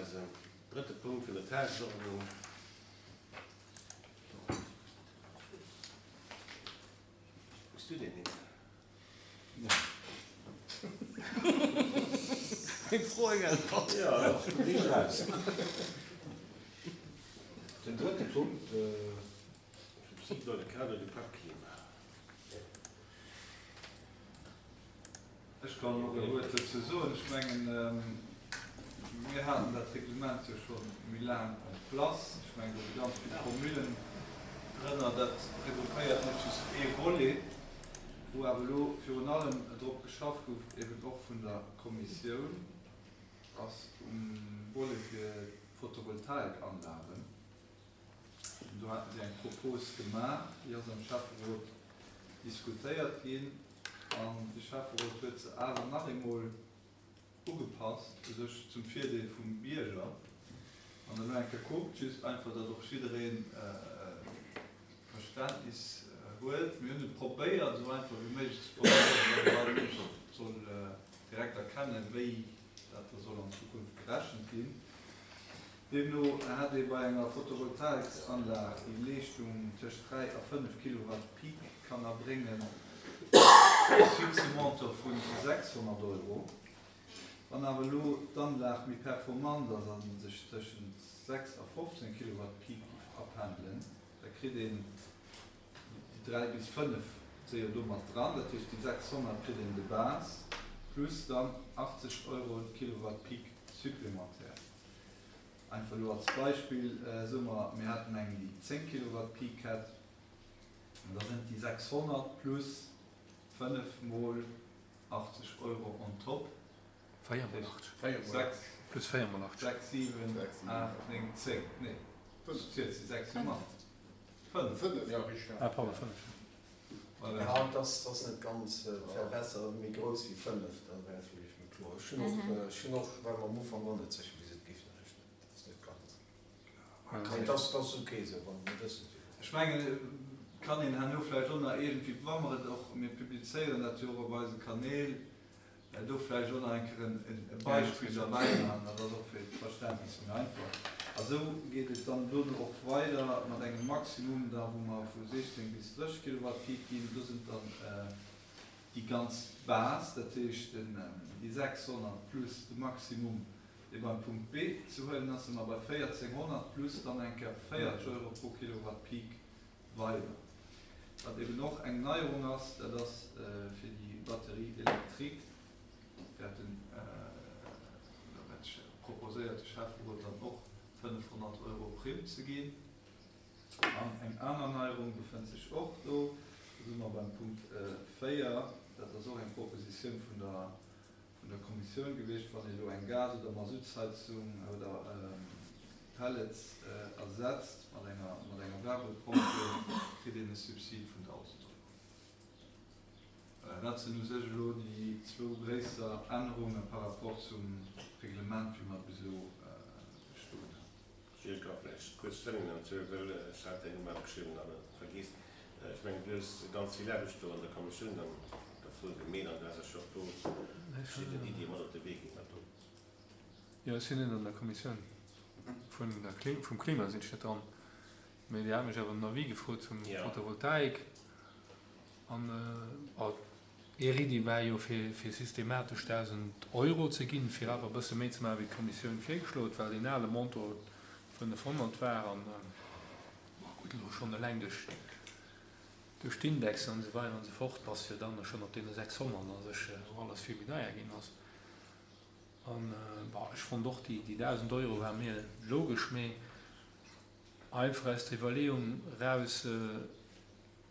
eisem drëtte Punkt vun der Tagesordnung. Hues du deen Nimm? Eng Fro, eng Äntwert. Jo, raus. Den drëtte Punkt. Subside dans le cadre du Pacte climat. Ech kann och e Wuert dozou soen. Ech mengen, mir haten dat Reglement jo scho méi laang en place. Ech mengen, do si ganz vill Formulen drënner. Dat regroupéiert net just ee Volet, wou awer elo virun allem drop geschafft gouf, eben och vun der Kommissioun, ass um Volet fir d'Photovoltaikanlagen. Do haten si eng Propos gemaach, déi ass am Schäfferot diskutéiert ginn an de Schäfferot huet se awer nach eemol ugepasst, u sech zum Virdeel vum Bierger. Wann Der elo eng Kéier kuckt, just einfach, datt och jidderee Verständnis huet, mir hunn et probéiert, esou einfach wéi méiglech ze formuléieren, datt all Mënsch soll direkt erkennen, wéi dat da soll an Zukunft gerechent ginn. Deemno hätt ee bei enger Photovoltaiksanlag, déi Leeschtung tëscht 3 a 5 Kilowatt Peak kann erbréngen, e fixe Montant vu 600 Euro. Wann awer elo d'Anlag méi performant ass a sech tëschent 6 a 15 Kilowatt Peak giff apendelen, da kritt een déi 3 bis 5 si jo do mat dran, dat heescht déi 600 kritt een de base plus dann 80 Euro Kilowatt Peak supplémentaire. Einfach elo als Beispill, soe mer, mir hätten eng, déi 10 Kilowatt Peak hätt, da sinn et déi 600 plus 5 mol 80 Euro on top. 4 mol 80. 6. Plus 4 mol 80. 6, 7, 8, 9, 10. Nee, ech zielen 6 jo mat. 5. 5, jo, richteg. Ah, pardon, 5. Ja, et ass net ganz, et wär besser méi grouss wéi 5, da wär et villäicht méi kloer. Ech hunn och, ech hunn och, war mer am Ufank och net sécher wéi se et géifen rechnen, dat ass net ganz, mee et ass, et ass ok esou, wann mir wëssen wéi. Ech mengen, et kann een herno vläicht och nach iergendwéi, wa mer et och, mir publizéieren dat jo och op eise Kanäl, Do vläicht och nach eng Kéier e Beispill derbäi maachen, dat ass och fir d'Verständnis méi einfach. A sou geet et dann dono och weider mat engem Maximum da wou mer vu 16 bis 30 Kilowatt Peak ginn. Do sinn dann déi ganz Base, dat heescht déi 600 plus de Maximum, dee beim Punkt B ze huelen ass, si mer bei 1400 plus dann eng Kéier 40 Euro pro Kilowatt Peak weider. Wat eben och eng Neierung ass, dat ass fir déi Batterie électrique, wäert den, dat proposéiert de Schäfferot dann och, 500 Euro Primm ze ginn. An eng aner Neierung befënnt sech och do, do si mer beim Punkt 4, dat ass och eng Propositioun vun der vun der Kommissioun gewiescht, wann ee elo eng Gas oder Masuttsheizung oder Pellets ersetzt mat enger mat enger Wärmepompe, kritt een e Subsid vun 1.000 Euro. Voilà, dat sinn u sech elo déi zwou gréisser Ännerunge par rapport zum Reglement, wéi mer et bis elo bestoen haten. Gilles, ka vläicht kuerz Stellung nehmen dozou, well ech hat däin Numm opgeschriwwen an et vergiess. Ech mengen, du hues ganz vill Aarbecht do an der Kommissioun dann dervu gemeet an du has eis jo och do verschidden Iddie mat op de Wee ginn. Wat do. Jo, ech sinn net an der Kommissioun vun der Klim, vum Klima sinn ech net dran, mee Dir hat mech awer en Avis gefrot zum Photovoltaik an, bon, Är Iddi war jo fir fir systematesch 1.000 Euro ze ginn, fir awer e bësse méi ze maachen wéi d'Kommissioun virgeschloen huet, well deen ale Montant 500 war an, bon, gutt, elo schonn eleng duerch duerch d'Indexen an esou weider an esou fort bass jo dann schonn op deene 600 a sech, wou alles vill méi deier ginn ass. An, bon, ech fonnt och déi 1.000 Euro war mir logesch, mee einfach aus der Iwwerleeung eraus,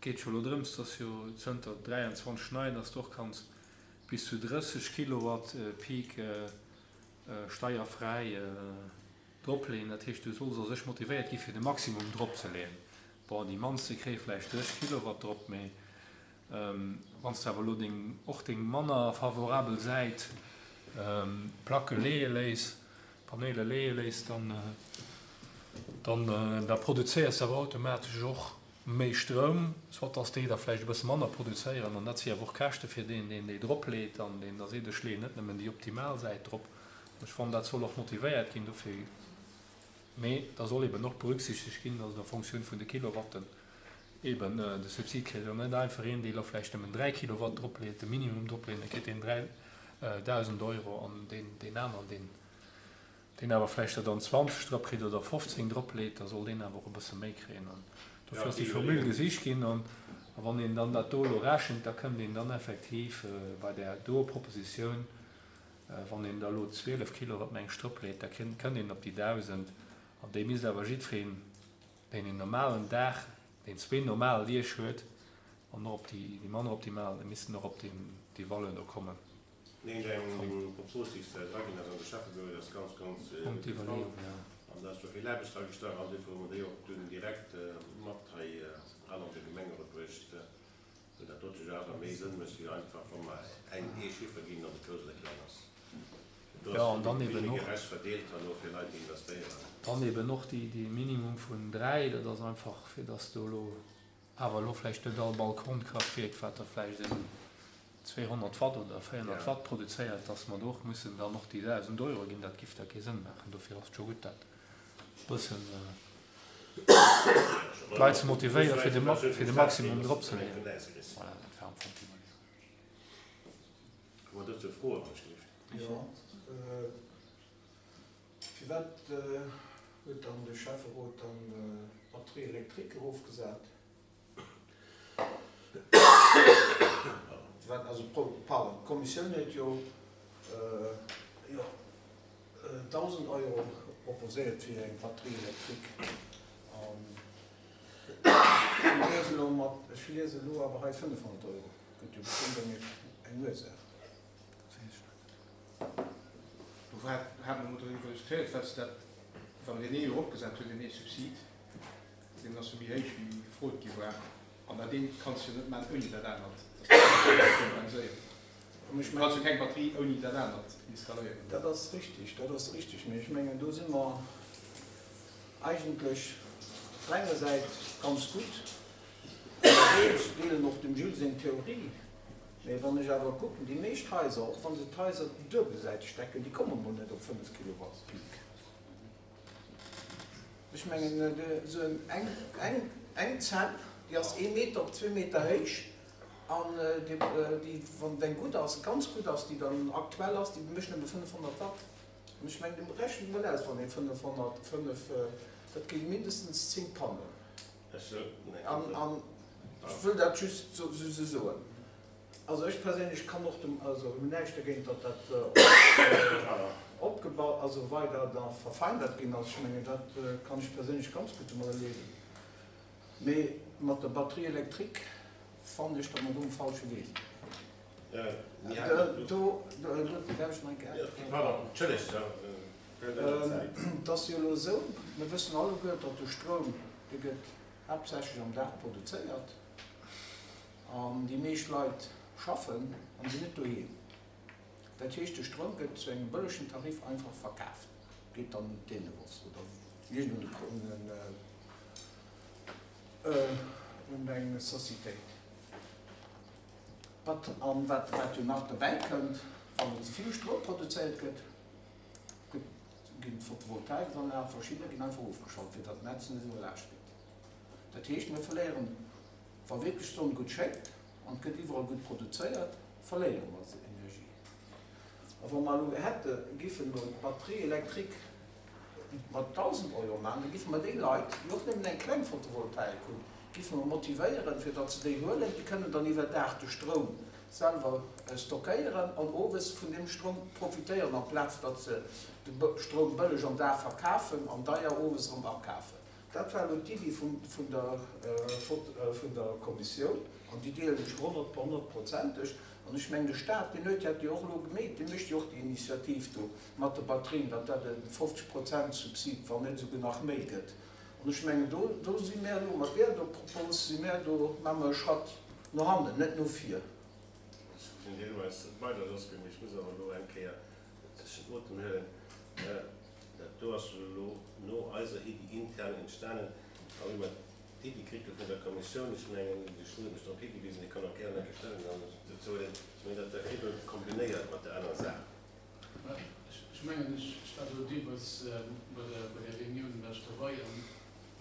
Geet jo elo drëms, dass jo zënter 23 nei, dass de och kanns bis zu 30 Kilowatt Peak steierfräi dropleeën. Dat heescht, du solls a sech motivéiert gi fir de Maximum dropzeleeën. Bon, déi mannste kréie vläicht 30 Kilowatt drop, mee wann s de awer elo deng, och deng manner favorabel Säit Placke leeë léiss, Paneele leeë léiss, dann, dann da produzéiers de awer automatesch och méi Stroum, soit dass déi der vläicht e bësse manner produzéieren, an dat si awer och Käschte fir deen, deen déi drop leet an deen da seet, ech leeën net nëmmen déi optimal Säit drop. Ech fannen, dat soll och motivéiert ginn dofir. Mee da soll eben och berücksichtegt ginn, dass et a Fonctioun vun de Kilowatten eben de Subsid kritt an net einfach een, dee elo vläicht nëmmen 3 Kilowatt dropleet, de Minimum dropleet, da kritt deen 3.000 Euro an deen, deen aneren, deen, deen awer vläicht der dann 20 drop kritt oder 15 dropleet, da soll deen awer och e bësse méi kréien. An dofir ass déi Formule gesicht ginn. An wann een dann dat do elo rechent, da kënnt een dann effektiv bei där doer Propositioun, wann een da elo 12 Kilowatt meng ech dropleet, da kënnt een op déi 1.000. An déi misst awer jiddwereen, deen een normalen Dag, deen zwee normal Deeg huet, an och op déi manner optimal, déi missten och op déi Valeur do kommen. Neen, deng Propos, déi s de eraginn hues an de Schäffebüro, déi ass ganz, ganz gutt gefall. An da ass do vill Aarbecht dragestach an duerfir hu mer déi och dunn direkt mat hei eran an de Gemengerot bruecht, well dat dote jo awer méi Sënn mécht, wéi einfach wa mer eng ee Chiffer ginn an de Grouss oder Kleng ass. Do ass vill méi gerecht verdeelt herno fir Leit, déi investéieren. Dann eben och déi Minimum vun 3, dat ass einfach, fir dass do elo awer elo vläicht net all Balkonkraftwierk, wat da vläicht en 200 Watt oder 400 Watt produzéiert, dass mer do och mussen dann och déi 1.000 Euro ginn, dat giff da kee Sënn maachen. Dofir ass et scho gutt, dat e bëssen d'Leit ze motivéieren, fir de, fir de Maximum drop ze leeën. Voilà, dat war am Fong d'Iwwerleeung. Hu mer dozou Froen, wann ech gelift? Jo. Firwat huet dann de Schäfferot dann d'Batterie électrique erofgesat? Firwat, also pardon, d'Kommissioun huet jo jo 1.000 Euro proposéiert fir eng Batterie électrique an ech liese elo mat, ech liese elo awer hei 500 Euro. Gëtt jo bestëmmt eng Ursaach. Dat weess ech net. Do hate mer emol doriwwer diskutéiert, well se dat, wa mer deen ee jo eropgesat hunn, deen ee Subsid, deen ass jo méi héich wéi gefrot gi war, an dat eent kanns de jo net maachen ouni dat anert, dat ass jo net kompenséiert. Du kanns jo keng Batterie ouni dat anert installéieren. Dat ass richtig, dat ass richtig, mee ech mengen, do si mer eigentlech op der enger Säit ganz gutt ënnerwee. Ech deelen och dem Jules seng Theorie. Mee wann ech awer kucken, déi meescht Haiser, och wa se d'Haiser duebelsäiteg decken, déi komme mol net op 5 Kilowatt Peak. Ech mengen, esou eng, eng Zell, déi ass ee Meter op zwee Meter héich an déi, wann et eng gutt ass, ganz gutt ass, déi dann aktuell ass, déi mécht nëmme 500 Watt. An ech mengen, rechent mol aus, wann ee 500, 5, dat gi mindestens 10 Pannen. An ech wëll dat just esou soen. Also ech perséinlech kann och dem, also hunn näischt dergéint, datt dat opgebaut, also weider da verfeinert ginn ass. Ech mengen, dat kann ech perséinlech ganz gutt domadder liewen. Mee mat der Batterie électrique fannen ech, datt mer do um falsche Wee sinn. Do, darf ech nach eng Kéier? Pardon, entschëllegt. Et ass jo elo esou, mir wëssen alleguer, datt de Stroum, dee gëtt haaptsächlech am Dag produzéiert an déi meescht Leit schaffen an sinn net doheem. Dat heescht, de Stroum gëtt zu engem bëllegen Tarif einfach verkaaft, geet dann un d'Eneos oder iergend un eng Societéit. Wat, an wat jo nach dobäi kënnt, wann elo ze vill Stroum produzéiert gëtt, ginn d'Photovoltaikanlagen, verschiddener ginn einfach ofgeschalt, fir datt d'Netz net iwwerlaascht gëtt. Dat heescht, mir verléieren, wa wierklech d'Sonn gutt schéngt an et gëtt iwwerall gutt produzéiert, verléiere mer Energie. A wa mer elo hätte giffen elo d'Batterie électrique mat 1.000 Euro maachen, da giffe mer déi Leit, déi och nëmmen eng kleng Photovoltaik hunn, giffe mer motivéieren, fir datt se déi huelen. Déi kënnen dann iwwer Dag de Stroum selwer stockéieren an owes vun deem Stroum profitéieren, amplaz datt se de Stroum bëlleg am Dag verkafen an deier owes erëm akafen. Dat war elo d'Iddi vun der Kommissioun an déi deelen ech honnertprozenteg. An ech mengen, de Stat, deen huet dat jo och elo gemeet, dee mécht jo och déi Initiativ do mat de Batterien, datt dat e 50 Prozent Subsid, wann net esouguer nach méi gëtt. An ech mengen, do, do si mär elo mat där do Propos, si mär do, maache mer e Schratt no hannen, net no vir. Ech sinn deelweis bei der Josquin, mee ech muss awer elo eng Kéier tëschent Otem huelen. Dat do ass jo elo no eiser Iddi intern entstanen. A wéi mer d'Iddi kritt hu vun der Kommissioun, ech mengen, de Schmitt huet mech drop higewisen, dee kann och gären eng Kéier Stellungnahme dozou huelen, ech mengen, dat war virdrun kombinéiert mat der anerer Saach. Ech. mengen, ech war do deelweis bei der bei där Reunioun war ech derbei an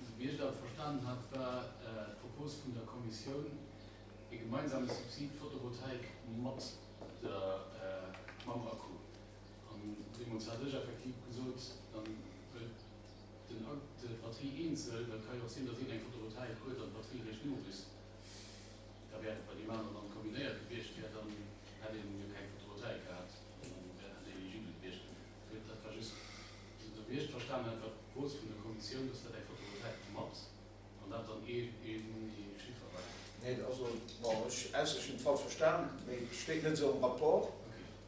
esou wéi ech dat verstanen hat, war d'Propos vun der Kommissioun e gemeinsame Subsid Photovoltaik mat der mam Akku. An deemools hat ech effektiv gesot, dann wëll den d'Batterie eenzel, well et ka jo och sinn, datt een eng Photovoltaik huet an d'Batterie réischt nowüsst. Da wär et bei deem aneren dann kombinéiert gewiescht wär, dann hätt een jo keng Photovoltaik gehat an dann wär dat net eligibel gewiescht. Dofir, dat war just, esou wéi ech et verstanen hat, war d'Propos vun der Kommissioun, dass dat eng Photovoltaik mat an dat dann ee Chiffer war. Nee, also, bon, ech, ausser ech hunn et falsch verstan, mee et steet net esou am Rapport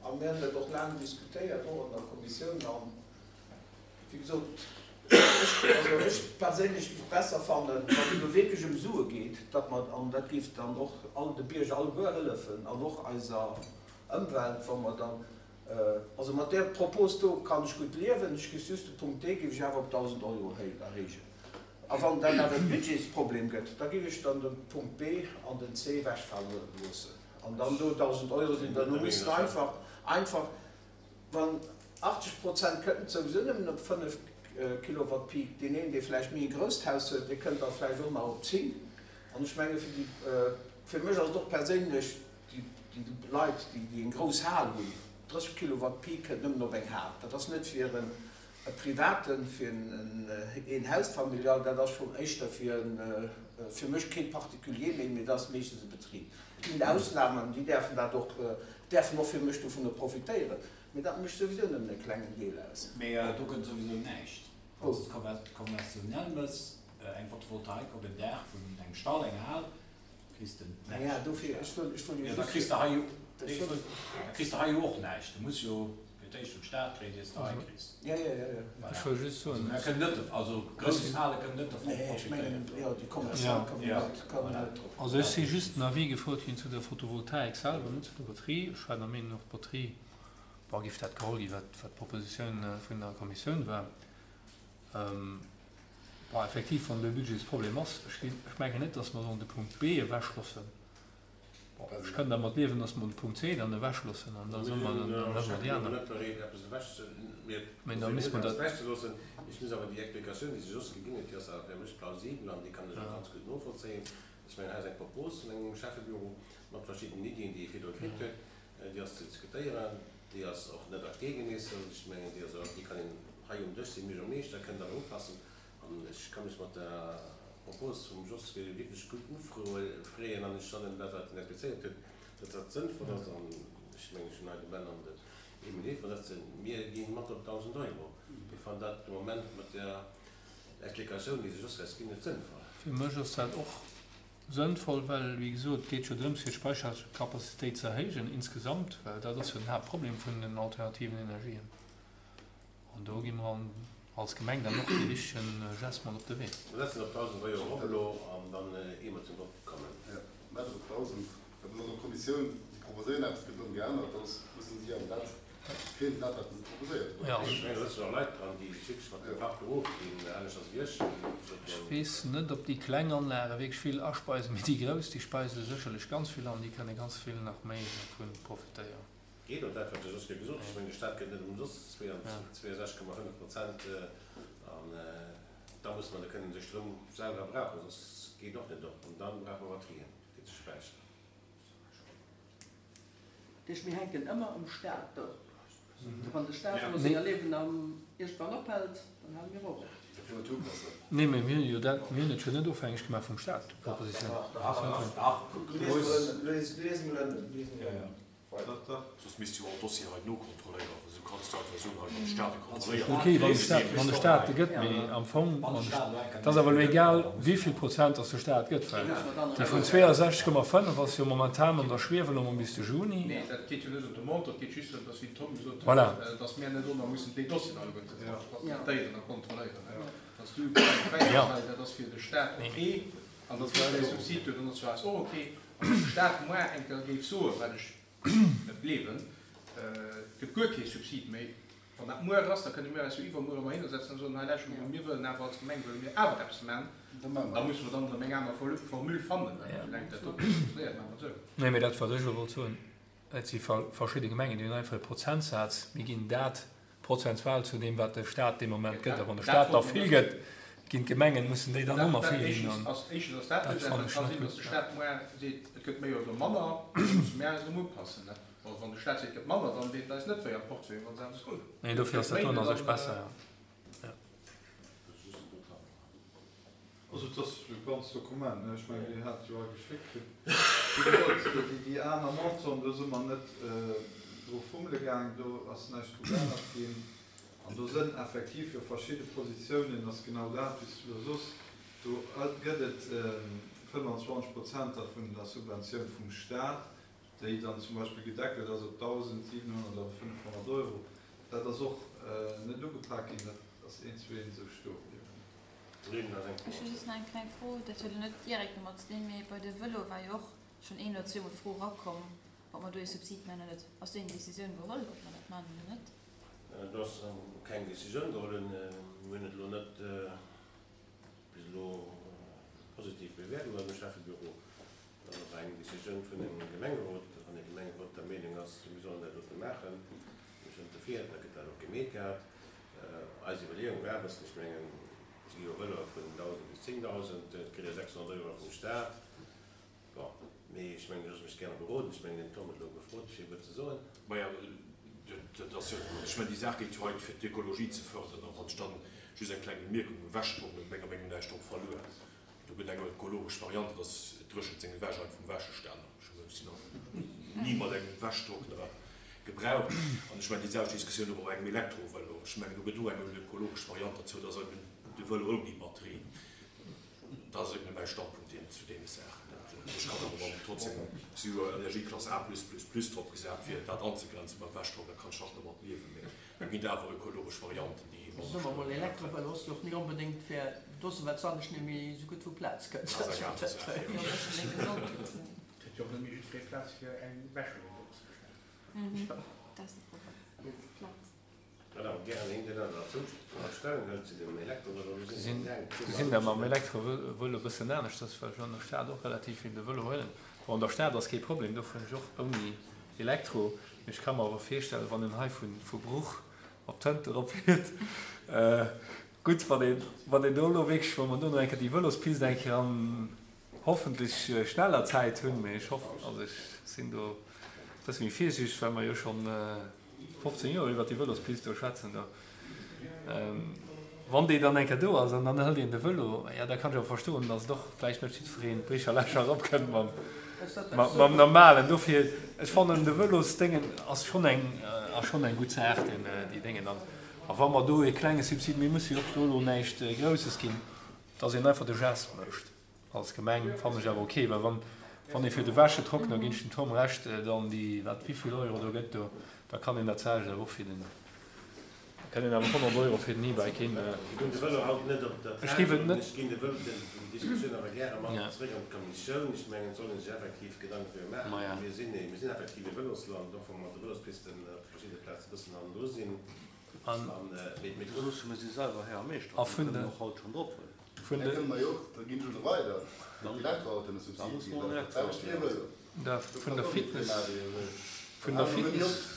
a mir hunn dat och laang diskutéiert, och an der Kommissioun an, Wéi gesot, ech, also ech perséinlech géif besser fannen, wann et elo wierklech ëm Sue geet, datt mer, an dat géif dann och all de Bierger alleguer hëllefen an och eiser Ëmwelt, wa mer dann, also mat där Propos do kann ech gutt liewen, ech géif just de Punkt D géif ech awer op 1.000 Euro erhéijen. A wann dat awer e Budgetsproblem gëtt, da géif ech dann de Punkt B an den C ewechfale loossen an dann do 1.000 Euro sinn. Well mer mussen einfach, einfach, Wann 80 Prozent kënnt souwisou nëmmen op 5 Kilowatt Peak. Deen een, dee vläicht méi e grousst Haus huet, dee kënnt da vläicht och nach op 10. An ech menge fir déi, fir mech ass et och perséinlech, déi, déi Leit, déi, déi eng grouss Hal hunn, 30 Kilowatt Peak kënnt nëmmen op eng Hal. Dat ass net fir en e Privaten, fir en een Haus familial, dat ass schonn éischter fir en, fir mech kee Particulier méi, mee dat ass meeschtens e Betrib. Et ginn Ausnamen, déi däerfen dat och, däerfen och fir mech dovunner profitéieren, mee dat mécht souwisou nëmmen e klengen Deel aus. Mee do gëtt souwisou näischt. Wann s de konventionell mëss, eng Photovoltaik op en Daach vun engem Stall, enger Hal, kriss de näischt. Naja, dofir, ech wëll, ech wëll jo just. Da kriss de hei jo, da kriss de hei jo och näischt. Du muss jo fir d'éischt vum Staat kréien, ier s de hei kriss. Ja, ja, ja, ja. Ech wëll just soen. Also mir kënnen net, also grouss Hale kënnen net dervun profitéieren. Nee, ech mengen, jo, déi kommerziell kënnen net, kënnen net drop. Also ech si just den Avis gefrot ginn zu der Photovoltaik selwer, net zu der Batterie. Ech war der Meenung och d'Batterie, bon, géif dat geholl ginn, wat, wat d'Propositioun vun der Kommissioun war. Bon, effektiv, wann do e Budgetsproblem ass, ech ginn, ech mengen net, dass mer sollen de Punkt B ewechloossen. Bon, ech kënn dermat liewen, dass mer de Punkt C dann ewechloossen an da soe mer, dann huele mer déi aner. Mä da misste mer dat. Ech muss awer déi Explikatioun, déi se just geginn huet, déi ass awer fir mech plausibel an déi kann ech och ganz gutt novollzéien. Ech mengen, hei ass eng Propos vun engem Schäffebüro mat verschiddenen Iddien, déi e virdru kritt huet. Déi ass ze diskutéieren, déi ass och net a Stee gemeesselt. Ech mengen, déi ass och, déi kann een hei um Dësch sinn, Buergermeeschter kënnt awer upassen. An ech ka mech mat der Propos vum Jos wierklech gutt ufreeën an ech fannen dat, wat en explizéiert huet, datt dat sënnvoll ass. An ech mengen, ech hunn hei de Ben an den Emile Haefer sëtzen, mir gi mat op 1.000 Euro. Mir fannen dat de Moment mat där Explikatioun, déi de Jos eis ginn huet, sënnvoll. Fir mech ass dat och Sënnvoll, well, wéi gesot, et geet jo drëms, fir d'Speicherkapazitéit ze erhéijen insgesamt, well dat ass jo den Haaptproblem vun den alternativen Energien. An do gi mer als Gemeng dann och dee richtegen Geste mat op de Wee. Mir setzen op 1.000 Euro erop elo an dann, ier mer zum Vott kommen. Jo, mä dat op 1.000, well an der Kommissioun, si proposéieren eppes, gëtt erëm geännert, da mussen si awer dat kréien, dat wat se proposéiert hunn. Ech mengen, do sëtzen och Leit dran, déi sech wierklech mat dem Fach beruff ginn, anescht als wéi ech. Ech weess net, ob déi kleng Anlage wierklech vill aspeisen, mee déi grouss, déi speise sécherlech ganz vill an, déi kënne ganz vill nach méi dervu profitéieren. Geet och dat, wat de Jos gesot huet. Ech mengen, de Staat gëtt net ëmsoss 62,5 Prozent an da musse mer de kënnen de Stroum selwer brauchen, soss geet och net op. An da brauche mer Batterien, fir ze späicheren. Dat heescht, mir hänken ëmmer um Staat do. Wann de Staat elo senger Liewen am iergendwann ophält, dann hale mir och op. Nee, mee mir hunn jo dat, mir hunn et jo net ofhängeg gemaach vum Staat, déi Propositioun. Soss misst jo all Dossier hei nokontrolléieren. Esou kanns du einfach soen, hei wann de Staat e kontrolléiert. Ok, wann de Staat, wann de Staat e gëtt, mee am Fong, et ass awer elo egal, wéi vill Prozent datt de Staat gëtt, well déi vun 62,5 ass jo momentan an der Schwief elo mol bis de Juni. Nee, dat geet jo net ëm de Montant, et geet just drëm, datt, wéi den Tom gesot huet, Voilà. datt mir net ëmmer mussen déi Dossieren alleguerte traitéieren a kontrolléieren. Datt du keng Fräiheet hei, dat ass fir de Staat ok, an datt fir eis Subsid do, dann ass fir eis och ok. Wann de Staat muar eng Kéier géif soen, wat ech net gleewen, et gëtt guer kee Subsid méi, wann dat muar ass, da kënne mir eis jo iwwermuer ëmmer hinnersetzen a soen, hei lauschtert emol, mir wëllen awer als Gemeng wëlle mir awer eppes man, da musse mer dann erëm eng aner Formule fannen, well soulaang dat do net funktionéiert, maache mer et esou. Nee, mee dat wat ech elo wollt soen, et si verschidde Gemengen, déi hunn einfach e Prozentsaz, mir ginn dat. prozentual zu deem, wat de Staat dee Moment gëtt. A wann de Staat da vill gëtt, ginn d'Gemengen, mussen déi dann och nach vill ginn. An dat fannen ech net gutt. Nee, dofir ass dat doen a sech besser, jo. Also et ass e ganzt Dokument, ne? Ech mengen, Dir hat et jo hei geschéckt kritt. Wéi gesot, déi aner Montanten, do si mer net dru fummele gaangen, do ass näischt dru geännert ginn. An do sënn effektiv jo verschidde Positiounen, ass genau dat, wéi s du elo soss, do gëtt et 25 Prozenter vun der Subventioun vum Stat, déi dann zum Beispill gedeckelt ass op 1.700 oder 500 Euro. Dat ass och net ugepak ginn, dat ass eent zu eent esou stoe bliwwen. Ech hu just nach eng kleng Fro, dat huet elo net direkt domat ze dinn, mee bei de Vëlo war jo och schonn een oder zweemol d'Fro erakomm, ob mer do ee Subsid maachen oder net. Ass do eng Decisioun geholl, ob mer dat maachen oder net? Do ass keng Decisioun geholl. Mir hunn et elo net bis elo positiv bewäert an eisem Schäffebüro. Dat ass eng Decisioun vun engem Gemengerot. Wann de Gemengerot der Meenung ass, mir sollen dat dote maachen, mir sinn dofir, da gëtt dat och gemeet gehat. Eis Iwwerleeung war e bëssen, ech mengen, et gi jo Vëloe vun 1.000 bis 10.000, et kritt ee 600 Euro vum Staat. Bon, mee ech mengen, ech loosse mech gäre beroden. Ech mengen, den Tom huet elo gefrot, fir e wuert ze soen. Maja, dat ass jo, ech mengen, déi Saach geet jo hei fir d'Ökologie ze fërderen. An wann ech dann just eng kleng Bemierkung, e Wäschdrock huet menger Meenung no näischt drop verluer. Do gëtt eng ökologesch Variante, dass et dréchent seng Wäsch einfach um Wäscheständer. Ech hunn se nach ni mat engem Wäschtrockner gebraucht. An ech mengen, déi selwecht Diskussioun hu mer bei engem Elektrovëlo. Ech mengen, do gëtt och eng ökologesch Variant derzou, dass eben de Vëlo ouni Batterie. Dat ass eben mäi Standpunkt deem zu deene Saachen. Ech kann awer dann trotzdem, si hu jo Energieklass A plus plus plus drop gesat, fir dat anzegrenzen beim Wäschtrockner kann ech nach domat liewen. Mee do ginn et awer ökologesch Varianten, déi manner Soe mer mol, Elektrovëlo ass jo och ni onbedéngt fir dossen, well s'anescht net méi esou gutt vu Plaz kënnt. Dat ass eng aner Saach, jo. Et huet jo och net méi jiddweree Plaz fir eng Wäschmaschinn drop ze stellen. Dat ass de Problem, Plaz. Wat awer gären een deen aneren dozou nach Stellung hëlt zu dem Elektrovëlo, do sinn se laang Do sinn der mam Elektrovëlo e bëssen aneschters, well ech an der Stad och relativ vill de Vëlo huelen. Bon, an der Stad ass kee Problem, do fueren ech och ouni Elektro. Mee ech ka mer awer virstellen, wann een hei vu Bruch op Tënte erop fiert, gutt, wann een, wann een do elo wierklech, wa mer do nach eng Kéier déi Vëlospist eng Kéier an hoffentlech schneller Zäit hunn, mee ech hoffen, also ech sinn do e bësse méi virsiichteg, well mer jo schonn 15 Joer iwwert déi Vëlospist do schwätzen do. Wann déi dann eng Kéier do ass an dann hëlt een de Vëlo, jo da kann ech awer verstoen, datt et och vläicht net jiddwereen d'Bricher Lächer eropkënnt mam, mam normalen. Dofir, ech fannen de Vëlosdéngen ass schonn eng, ass schonn eng gutt Saach, deen, déi Déngen. An a wa mer do e klenge Subsid, mir musse jo och do elo näischt Grousses ginn, datt een einfach de Geste mécht als Gemeng, fannen ech awer ok. Well wann, wann ee fir de Wäschetrockner, ginn ech dem Tom Recht, dann déi, wat, wéivill Euro do gëtt do, da kann een dat selwecht awer och fir den, Da kënnt een awer 100 Euro fir den E-Bike hin. Ech ginn de Vëlo haut net op der Ech géif et Tafel. net. Ech ginn de Vëlo, déi Diskussioun awer gäre mat zréck an d'Kommissioun. Ech mengen, et soll ee sech effektiv Gedanken driwwer maachen. Maja. Mir sinn ee, mir sinn effektiv e Vëlosland, och wa mer mat de Vëlospisten op verschidde Plaze e bëssen hannendru sinn. An, An, mee, mee Do loosse mer si selwer Här a Meeschter, a mir vun kënnen de, och haut schonn drop huelen. vun Da de. kënne mer jo och, da ginn ech elo weider, fir d'Elektroautoen e Subsid ginn, dat ass dat selwecht wéi e Vëlo. Da Do vun kann der och jiddweree Fitness, maachen, wéi e wëll. vun der Dann hale mer nëmme Fitness. op.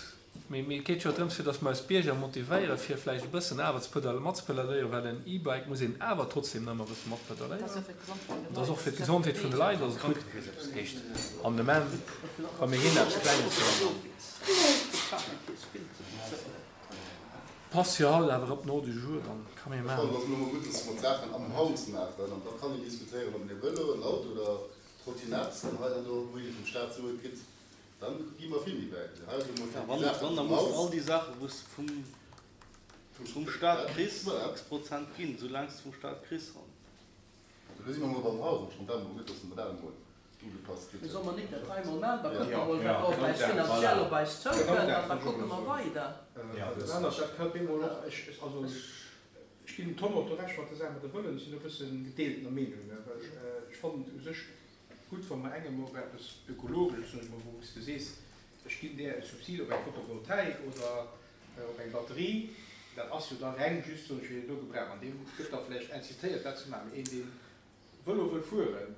Mee et geet jo drëms, fir datt mer eis Bierger motivéieren, fir vläicht e bëssen awer ze pedal, matzepedaléieren, well en E-Bike muss een awer trotzdem nach ëmmer e bësse matpedaléieren. An dat ass och fir d'Gesondheet vun de Leit ass et gutt. Heescht an dem Enn, wa mir hinnen eppes Klenges soen, passt jo haut awer op den Ordre du jour, dann ka mir Ech fannen, maachen. et ass elo mol gutt, dass mer d'Saachen am Haus maachen an da kann een diskutéieren, ob een e Vëlo, en Auto oder Trottinett dann hei an do, wou ee vum Staat Sue kritt. Dann gi mer vill méi wäit. Hei ass emol fir déi Saachen Wann, da vum muss de Haus. all déi Saachen, wou s de vum Staat kriss, x Prozent ginn, soulaang s de vum Staat kriss. An. Do si mer emol beim Haus. Ech fand dat emol gutt, dass mer dat emol ugepasst kritt Mee hunn. solle mer nik dat hei emol maachen, da kucke mer emol, wat op eis finanziell op eis zoukënnt an da kucke mer weider. Dat anert, dat ka bemol och, ech, also ech ginn dem Tom och do Recht mat der Saach mat de Vëloen, ech sinn do e bësse gedeeltener Meenung, well ech fannen et u sech Gutt, wa mer engem och eppes Ökologesches, soen ech mol, wou s de sees, ech ginn där e Subsid op eng Photovoltaik oder op eng Batterie, dat ass jo da reng just, soen ech, fir deen do Gebrauch an deem gëtt da vläicht incitéiert, dat ze maachen. Mee een, dee Vëlo wëll fueren,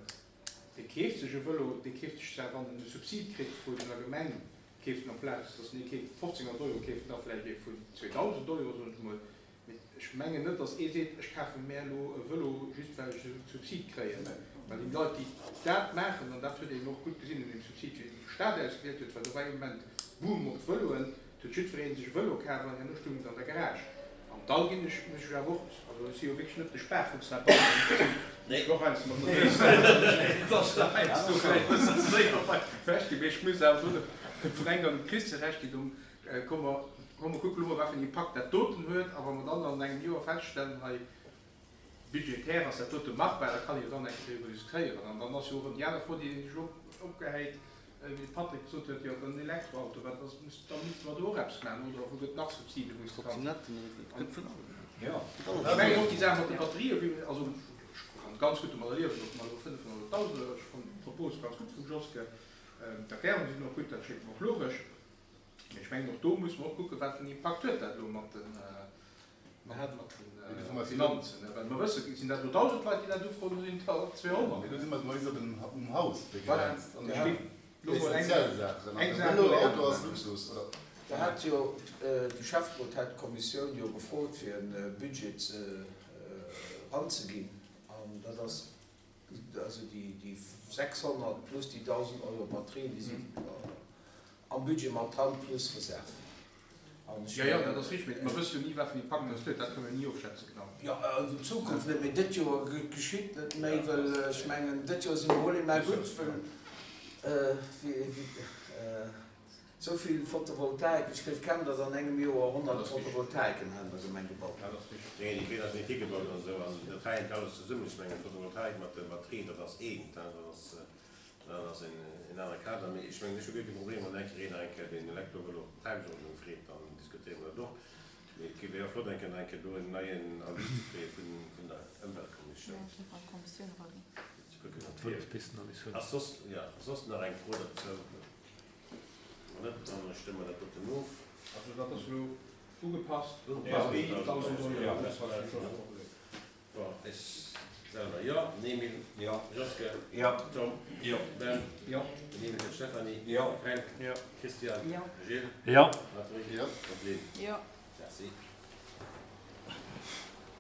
dee keeft sech e Vëlo, dee keeft sech zwar, wann en e Subsid kritt vun der Gemeng. Keeft en amplaz dass en ee keeft 1500 Euro, keeft en da vläicht ee vun 2000 Euro, soen ech emol. Mee ech mengen net, dass ee seet, ech kafe mär elo e Vëlo just well ech e Subsid kréien. Well déi Leit, déi dat maachen, an dat huet een och gutt gesinn un deem Subsid, wéi de Staat ausgewielt huet, well do war ee Moment Boom op d'Vëloen, et huet jiddweree sech e Vëlo kaf an herno stoung et an der Garage. An da ginn ech, muss ech awer och, also ech si jo wierklech net de Sparfuchs heibannen, ech sinn och heiansdo mat der Nues, et ass heiansdo vläicht e bëssen ze séier ewech ginn, mee ech muss awer do dem Fränk an dem Christian Recht ginn, do komme mer, komm mer kucke lo mol, wat fir en Impakt dat doten huet, a wa mer dann an engem Joer feststellen, hei budgetär ass dat dote machbar, da kann ee jo dann eng Kéier driwwer diskutéieren. An dann ass jo och erëm déi aner Fro, déi ee sech opgehäit, wéi de Patrick gesot huet, jo den Elektroauto, wat ass, muss, da misste mer do och eppes maachen, oder wou gëtt nach Subside wou se kann. Ech mengen och déi Saach mat de Batterië, wéi, also ech kann ganz gutt domadder liewen, datt mer elo 500.000, ech fannen d'Propos ganz gutt vum Joske, d'Erklärungen sinn och gutt, dat schéngt mer och logesch, mee ech mengen och do musse mer och kucken, wat fir en Impakt huet dat elo mat den, Mat de Finanzen, well mer wëssen, sinn dat elo 1.000 Leit, déi dat ufroen, oder sinn et der 200? Mee do si mer bis op den um Haus begrenzt an ech géif elo mol eng essentiell Saachen. An de Vëlo, Auto ass Luxus, oder? Da hat jo de Schäfferot hat d'Kommissioun jo gefrot, fir e Budget ze eranzeginn, an dat ass Also déi 600 plus déi 1.000 Euro Batterien, déi sinn am Budget mat dran, plus Reserve. An ech. Jo, jo, dat ass richteg, mee mer wësse jo ni, wat fir en Impakt dat huet. Dat kënne mer ni ofschätzen, genau. Jo, an Zukunft net, mee dët Joer geschitt net méi, well ech mengen, dët Joer si mer hol mä gutt, well wéi. Sou vill Photovoltaik, ech géif kennen, datt an engem Joer 100 Photovoltaiken hei an der Gemeng gebaut ginn. Nee, déi Feeler sinn higebaut an esou, an dat hänkt alles zesummen. Ech mengen, d'Photovoltaik mat de Batterien, dat ass eent, dat ass, dat ass en anere Kader. Mee ech mengen, ech hu guer kee Problem, wann eng Kéier een eng Kéier den Elektrovëlo op d'Tagesordnung freet, dann diskutéiere mer dat och. Mee et wier jo flott, eng Kéier nach eng Kéier do en neien Avis ze kréie vun der Ëmweltkommissioun. Fir ze kucken, ob fir. Ass soss, jo, soss nach eng Fro dozou? Wann net, dann stëmme mer dat doten of. Also dat ass elo ugepasst op 1.000 Euro. Bon, ech selwer jo. Emil? Jo. Joske? Jo. Tom? Jo. Ben? Jo. Den Emil, den Stéphanie? Jo. Fränk? Jo. Christian? Jo. Gilles? Jo. Patrick? Jo. An d'Lynn? Jo. Merci.